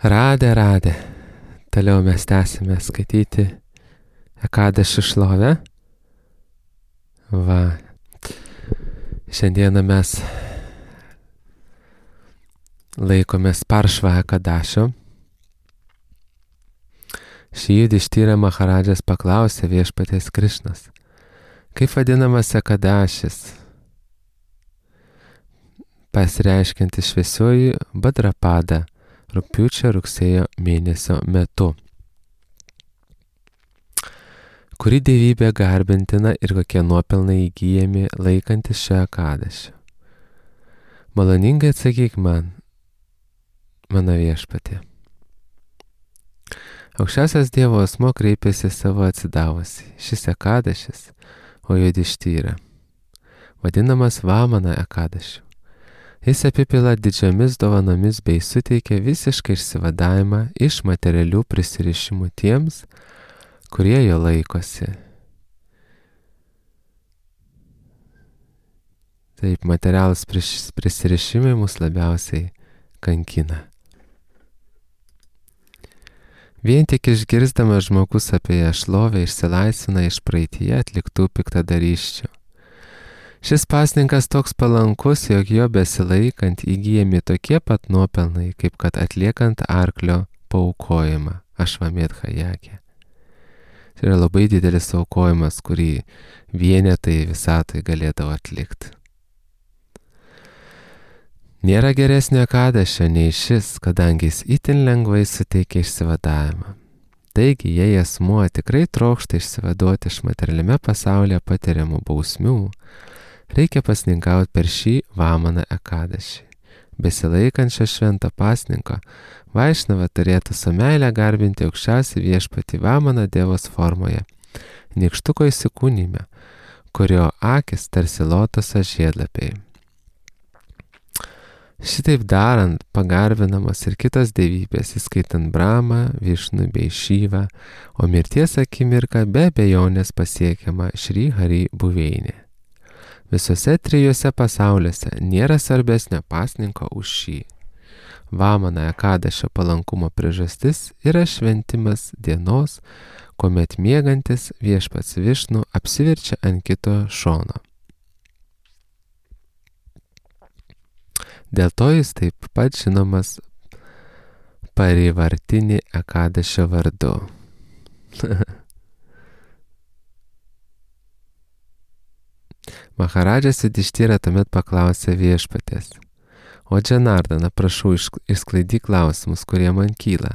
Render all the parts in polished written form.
Radę. Toliau mes tęsime skaityti Ekadešio šlovę. Va. Šiandieną mes laikomės Paršva Ekadešio. Šį Judištyrą Maharadžas paklausė viešpaties Krišnos, kaip vadinamas Ekadešis, pasireiškiantis šviesiuoju Badrapada rugpjūčio rugsėjo mėnesio metu. Kuri dievybė garbintina ir kokie nuopelnai įgyjami laikantis šio Ekadešio? Maloningai atsakyk man, mano viešpatie. Aukščiausias Dievo asmuo kreipėsi savo atsidavusi. Šis Ekadešis, o Judištyra, vadinamas Vamana Ekadeshiu. Jis apipila didžiomis dovanomis bei suteikia visišką išsivadavimą iš materialių prisirišimų tiems, kurie jo laikosi. Taip, materialūs prisirišimai mus labiausiai kankina. Vien tik išgirsdamas žmogus apie ją šlovę išsilaisvina iš praeityje atliktų piktadarysčių. Šis pasninkas toks palankus, jog jo besilaikant įgyjami tokie pat nuopelnai, kaip kad atliekant arklio paaukojimą, Ašvamedha Jagė. Tai yra labai didelis aukojimas, kurį vienetai visatoj galėdavo atlikti. Nėra geresnio Ekadešio nei šis, kadangi jis itin lengvai suteikia išsivadavimą. Taigi, jei asmuo tikrai trokšta išsivaduoti iš materialiame pasaulyje patiriamų bausmių, reikia pasninkauti per šį Vamaną Ekadešį. Besilaikančio švento pasninko, Vaišnava turėtų su meile garbinti aukščiausią viešpatį Vamaną Dievos formoje, nykštuko įsikūnyme, kurio akis tarsi lotoso žiedlapiai. Šitaip darant, pagarbinamos ir kitos dievybės, įskaitant Bramą, Višnų bei Šyvą, o mirties akimirka be abejonės pasiekiama Šri Hari buveinė. Visose trijuose pasauliuose nėra svarbesnio pasninko už šį. Vamana Ekadešio palankumo priežastis yra šventimas dienos, kuomet miegantis viešpats Višnų apsiverčia ant kito šono. Dėl to jis taip pat žinomas Parivartini Ekadešio vardu. Maharadžas Judištyra tuomet paklausė viešpatės: O Džanardana, prašau, išsklaidyk klausimus, kurie man kyla.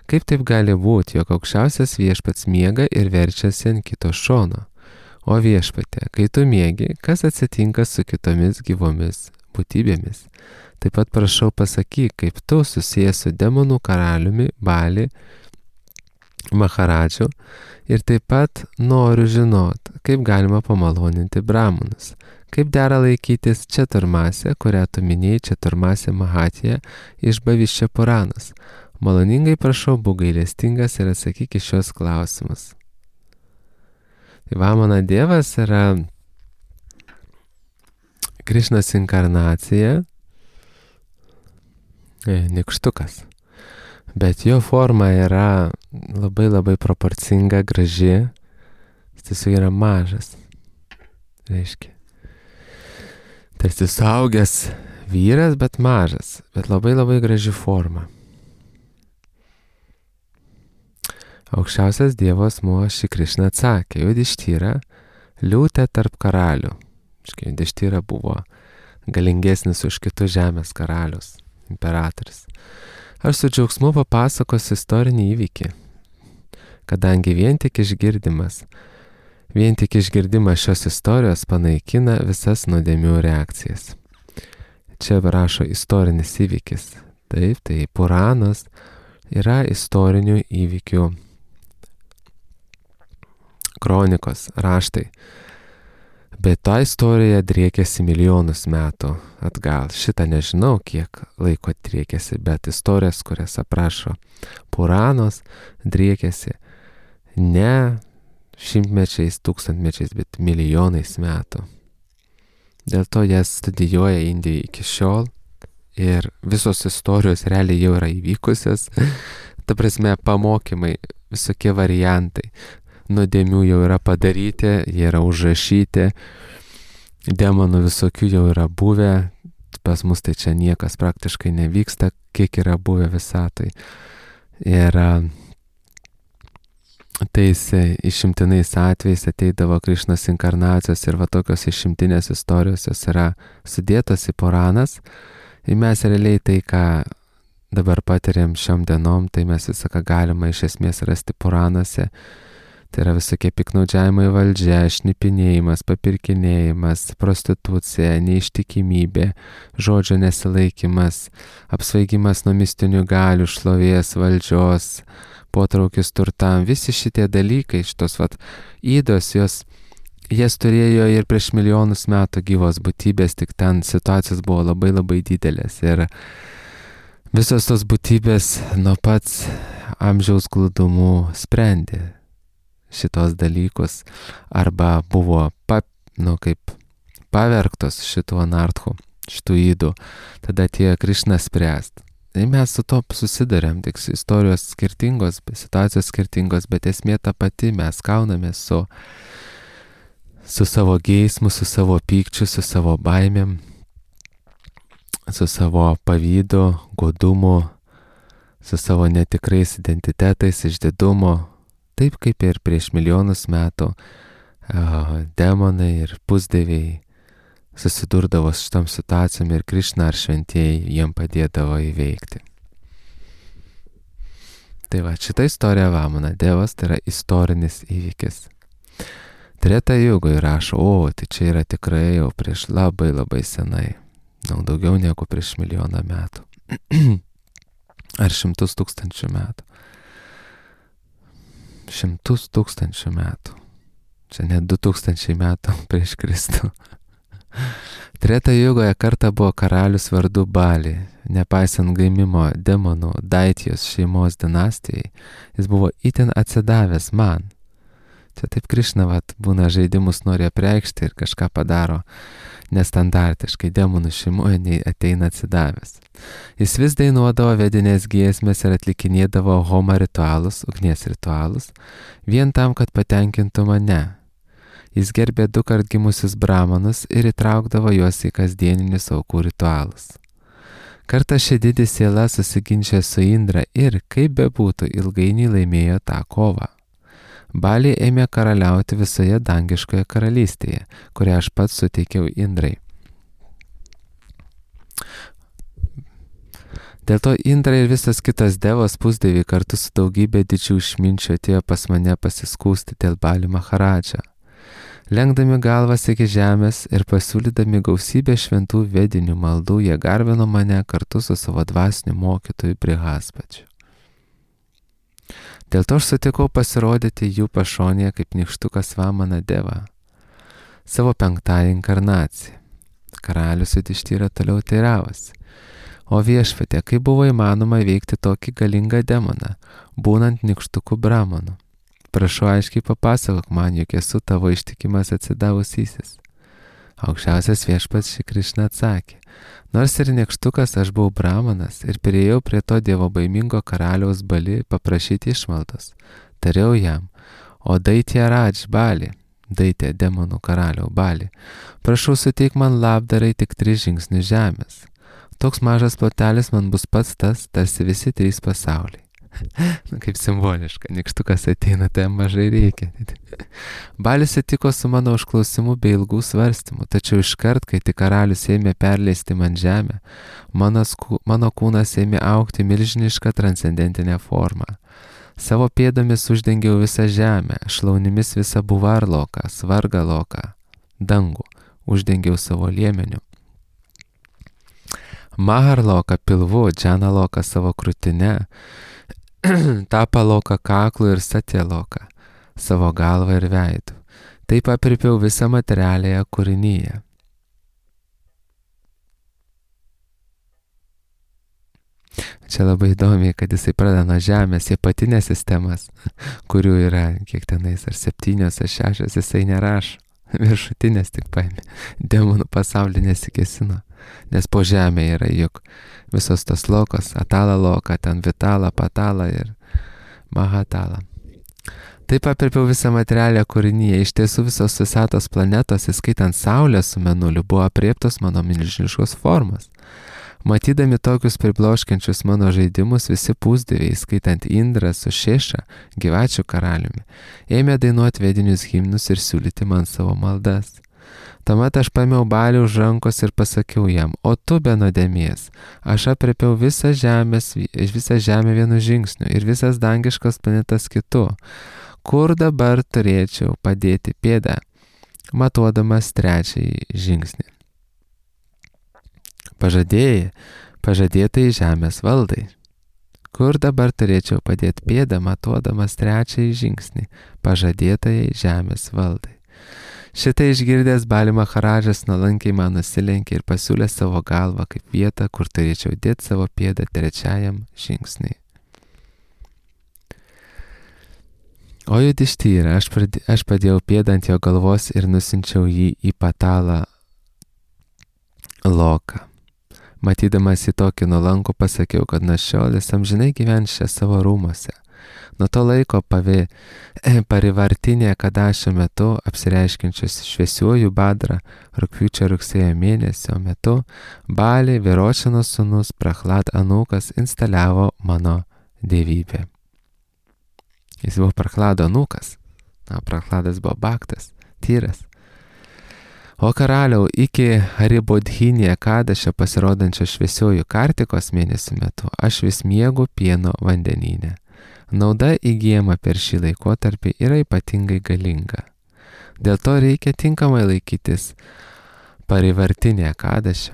Kaip taip gali būti, jog aukščiausias viešpats miega ir verčiasi ant kito šono? O viešpatė, kai tu miegi, kas atsitinka su kitomis gyvomis būtybėmis? Taip pat prašau pasakyk, kaip tu susijęs su demonų karaliumi Bali Maharadžu ir taip pat noriu žinot, kaip galima pamaloninti brahmanus, kaip dera laikytis Četurmasę, kurią tu minėjai Četurmasę Mahatija iš Bhavišya Puranos. Maloningai prašau, būk gailestingas ir atsakyk į šios klausimus. Tai Vamana Dievas yra Krišnos inkarnacija, nykštukas. Bet jo forma yra labai proporcinga, graži. Jis tiesiog yra mažas. Reiškia. Tarsi suaugęs vyras, bet mažas. Bet labai graži forma. Aukščiausias Dievo asmuo Šri Krišna atsakė: Judištyra, liūtė tarp karalių. Judištyra buvo galingesnis už kitus žemės karalius, imperatorius. Aš su džiaugsmu papasakosiu istorinį įvykį, kadangi vien tik išgirdimas šios istorijos panaikina visas nuodėmių reakcijas. Čia rašo istorinis įvykis. Taip, tai Puranos yra istorinių įvykių kronikos, raštai. Bet ta istorija driekėsi milijonus metų atgal. Šitą nežinau, kiek laiko driekėsi, bet istorijas, kurias aprašo Puranos, driekėsi ne šimtmečiais, tūkstantmečiais, bet milijonais metų. Dėl to jas studijuoja Indija iki šiol ir visos istorijos realiai jau yra įvykusios. Ta prasme, pamokymai, visokie variantai. Nuodėmių jau yra padaryti, jie yra užrašyti, demonų visokių jau yra buvę, pas mus tai čia niekas praktiškai nevyksta, kiek yra buvę visatoj. Ir tais išimtinais atvejais ateidavo Krišnos inkarnacijos ir va tokios išimtinės istorijos jos yra sudėtos į Puranas. Ir mes realiai tai, ką dabar patiriam šiom dienom, tai mes visą, ką galima iš esmės rasti Puranuose. Tai yra visokie piknaudžiavimai valdžia, šnipinėjimas, papirkinėjimas, prostitucija, neištikimybė, žodžio nesilaikymas, apsvaigimas nuo mistinių galių, šlovės, valdžios, potraukis turtam. Visi šitie dalykai, šitos ydos, jas turėjo ir prieš milijonus metų gyvos būtybės, tik ten situacijos buvo labai labai didelės. Ir visos tos būtybės nuo pats amžiaus glūdumų sprendė šitos dalykus arba buvo kaip pavergtos šitų anarchų, šitų ydų. Tada atėjo Krišna spręst. Ir mes su to susidarėm, tik istorijos skirtingos, situacijos skirtingos, bet esmė ta pati, mes kaunamės su savo geismu, su savo pykčiu, su savo baimėm, su savo pavydu, godumu, su savo netikrais identitetais, išdidumu. Taip kaip ir prieš milijonus metų demonai ir pusdieviai susidurdavo su šitom situacijom ir Krišna ar šventieji jiem padėdavo įveikti. Tai va, šita istorija Vamana Devas tai yra istorinis įvykis. Treta Jugoj rašo, tai čia yra tikrai jau prieš labai labai senai, daugiau negu prieš milijoną metų. Ar 100 000 metų. 100 000 metų. Čia net 2000 metų prieš Kristų. Treta Jugoje kartą buvo karalius vardu Bali. Nepaisant gaimimo demonų Daitijos šeimos dinastijai, jis buvo itin atsidavęs man. Čia taip Krišna būna žaidimus nori apreikšti ir kažką padaro nestandartiškai, demonų šeimoje nei ateina atsidavęs. Jis vis dainuodavo vedinės giesmės ir atlikinėdavo homa ritualus, ugnies ritualus, vien tam, kad patenkintų mane. Jis gerbė 2 kart gimusius bramanus ir įtraukdavo juos į kasdieninius aukų ritualus. Kartą ši didi siela susiginčė su Indra ir, kaip bebūtų, ilgainiui laimėjo tą kovą. Bali ėmė karaliauti visoje dangiškoje karalystėje, kurią aš pats suteikiau Indrai. Dėl to Indra ir visas kitas devos pusdieviai kartu su daugybė didžių išminčių atėjo pas mane pasiskųsti dėl Bali Maharadžą. Lenkdami galvas iki žemės ir pasiūlydami gausybę šventų vedinių maldų, jie garbino mane kartu su savo dvasiniu mokytoju Brihaspačiu. Dėl to aš sutikau pasirodyti jų pašonėje kaip nykštukas Vamana Deva, savo 5ąją inkarnaciją. Karalius Judištyra toliau teiravosi. O viešpatie, kaip buvo įmanoma įveikti tokį galingą demoną, būnant nykštuku Brahmanu? Prašau aiškiai papasakok man, juk esu tavo ištikimas atsidavusysis. Aukščiausias viešpats Šri Krišna atsakė. Nors ir nykštukas aš buvau Brahmanas ir priėjau prie to dievobaimingo karaliaus Bali paprašyti išmaldos. Tariau jam, o Daitė Radž Bali, Daitė demonų karaliau Bali, prašau suteik man labdarai tik 3 žingsnius žemės. Toks mažas plotelis man bus pats tas, tarsi visi 3 pasauliai. Kaip simboliška, nykštukas ateina, tai mažai reikia. Balis sutiko su mano užklausimu bei ilgų svarstymų, tačiau iškart, kai tik karalius ėmė perleisti man žemę, mano kūnas ėmė augti milžinišką transcendentinę formą. Savo pėdomis uždengiau visą žemę, šlaunimis visą Buvarloką, Svargaloką, dangų, uždengiau savo liemeniu. Maharloką pilvu, Džanaloką savo krūtine, Tapaloką kaklu ir Satyaloką, savo galvą ir veidu. Taip apripiau visą materialiąją kūrinyje. Čia labai įdomiai, kad jisai pradeda nuo žemės, jie patinės sistemas, kurių yra kiek tenais, ar 7 ar 6, jisai nerašo. Viršutinės tik paėmė, demonų pasaulį nesikėsino. nes po žemė yra juk visos tos lokos, atala loka, ten vitala, patala ir mahatala. Taip apirpiau visą materialę kūrinyje, iš tiesų visos visatos planetos, įskaitant Saulę su Mėnuliu, buvo apriektos mano milžiniškos formos. Matydami tokius pribloškiančius mano žaidimus, visi pusdieviai, skaitant Indrą su Šeša, gyvačių karaliumi, ėmė dainuoti vedinius himnus ir siūlyti man savo maldas. Tuomet aš paėmiau Balį už rankos ir pasakiau jam, o tu be nuodėmės, aš aprėpiau visą žemę vienu žingsniu ir visas dangiškas planetas kitu. Kur dabar turėčiau padėti pėdą, matuodamas trečiąjį žingsnį? Pažadėtai žemės valdai. Kur dabar turėčiau padėti pėdą, matuodamas trečiąjį žingsnį, pažadėtai žemės valdai? Šitai išgirdęs Bali Maharadžas nuolankiai man nusilenkė ir pasiūlė savo galvą kaip vietą, kur turėčiau dėti savo pėdą trečiajam žingsniui. O Judištyra, aš padėjau pėdą ant jo galvos ir nusinčiau jį į patalą loką. Matydamas į tokį nuolankų pasakiau, kad nuo šiol jis amžinai gyvens čia savo rūmuose. Nuo to laiko parivartinė Kadašio metu, apsireiškinčius šviesiuoju Badra, rugpjūčio rugsėjo mėnesio metu, Bali Viročino sūnus Prahlad anūkas instaliavo mano dievybę. Jis buvo Prahlado anūkas, Prahladas buvo Bhaktas, tyras. O karaliau, iki Haribodhinėje Kadašio pasirodančio šviesiuoju Kartikos mėnesio metu, aš vis miegu pieno vandenyne. Nauda įgyjama per šį laikotarpį yra ypatingai galinga. Dėl to reikia tinkamai laikytis parivartinėje Kadašio.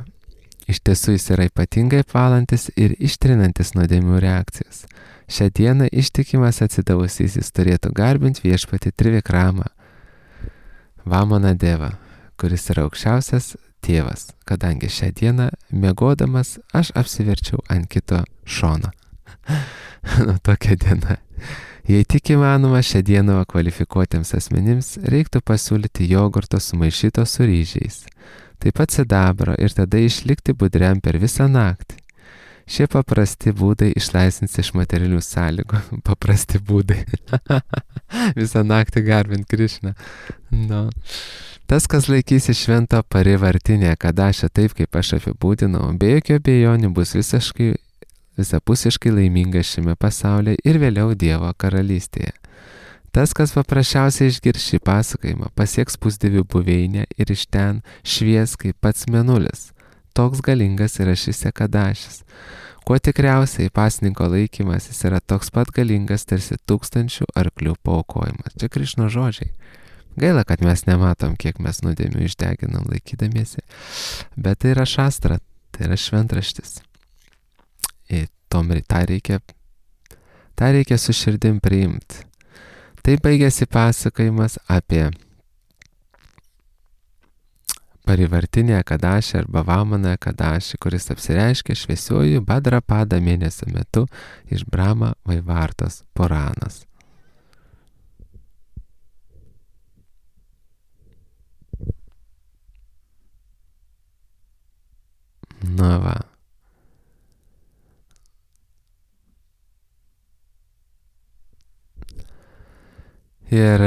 Iš tiesų jis yra ypatingai apvalantis ir ištrinantis nuodėmių reakcijas. Šią dieną ištikimas atsidavusysis turėtų garbinti viešpatį Trivikramą, Vamana Devą, kuris yra aukščiausias tėvas, kadangi šią dieną miegodamas aš apsiverčiau ant kito šono. Tokia diena. Jei tik įmanoma, šią dieną kvalifikuotiems asmenims reiktų pasiūlyti jogurto sumaišyto su ryžiais, taip pat sidabro ir tada išlikti budriam per visą naktį. Šie paprasti būdai išlaisvins iš materialių sąlygų. Paprasti būdai. Visą naktį garbint Krišną. No. Tas, kas laikysi švento parivartinę Kadašą taip, kaip aš apibūdinau, be jokio abejonių bus visapusiškai laimingas šiame pasaulyje ir vėliau Dievo karalystėje. Tas, kas paprasčiausiai išgirs šį pasakojimą, pasieks pusdievių buveinę ir iš ten švies kaip pats mėnulis. Toks galingas yra šis Kadašis. Kuo tikriausiai pasninko laikymas jis yra toks pat galingas tarsi 1000 arklių paaukojimas. Čia Krišno žodžiai. Gaila, kad mes nematom, kiek mes nuodėmių išdeginam laikydamiesi. Bet tai yra šastra, tai yra šventraštis. Ir tą reikia su širdim priimti. Tai baigėsi pasakojimas apie parivartinę Kadašį arba Vamaną Kadašį, kuris apsireiškė šviesiuoju Badrapada mėnesio metu iš Brahma Vaivartos Puranos. Na va. Ir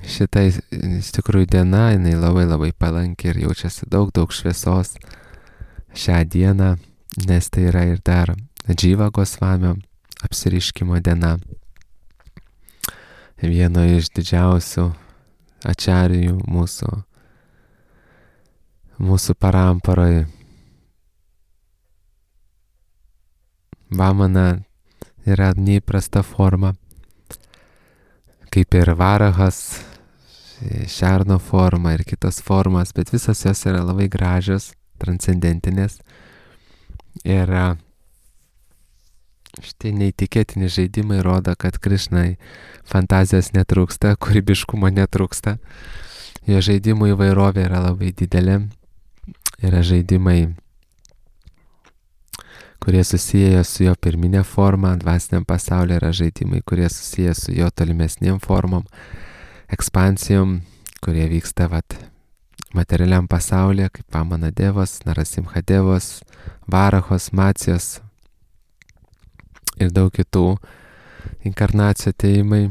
šitą iš tikrųjų diena, jinai labai palanki ir jaučiasi daug šviesos šią dieną, nes tai yra ir dar Dživa Gosvamio apsireiškimo diena. Vieno iš didžiausių ačarijų mūsų paramparoje. Vamana yra neįprasta forma, kaip ir Varahas, šerno forma ir kitos formas, bet visos jos yra labai gražios, transcendentinės. Ir šitie neįtikėtini žaidimai rodo, kad Krišnai fantazijos netrūksta, kūrybiškumo netrūksta. Jo žaidimų įvairovė yra labai didelė. Yra žaidimai, kurie susiję su jo pirminė forma, dvasiniam pasaulyje yra žaidimai, kurie susiję su jo tolimesniem formom, ekspansijom, kurie vyksta materialiam pasaulyje, kaip Vamana Devos, Narasimha Devos, Varahos, Macijos ir daug kitų inkarnacijų atėjimai.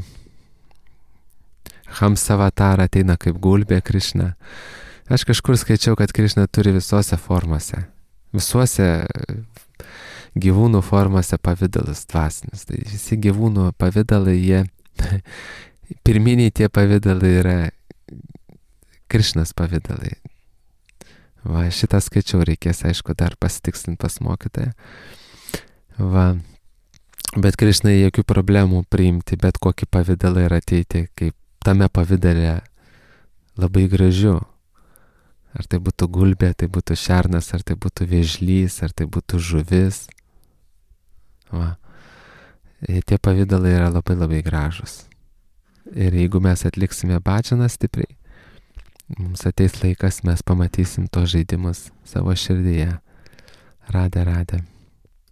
Hamsavatara ateina kaip gulbė Krišna. Aš kažkur skaičiau, kad Krišna turi visose formose, visuose gyvūnų formose pavidalus dvasinius. Tai visi gyvūnų pavidalai, jie pirminiai tie pavidalai yra Krišnas pavidalai. Va, šitą skaičiau, reikės, aišku, dar pasitikslinti pas mokytoją. Va, bet Krišnai jokių problemų priimti bet kokį pavidalą ir ateiti, kaip tame pavidale labai gražiu. Ar tai būtų gulbė, tai būtų šernas, ar tai būtų vėžlys, ar tai būtų žuvis. Va. Tie pavidalai yra labai labai gražus. Ir jeigu mes atliksime bhajaną stipriai, mums ateis laikas, mes pamatysim tos žaidimus savo širdyje. Radė.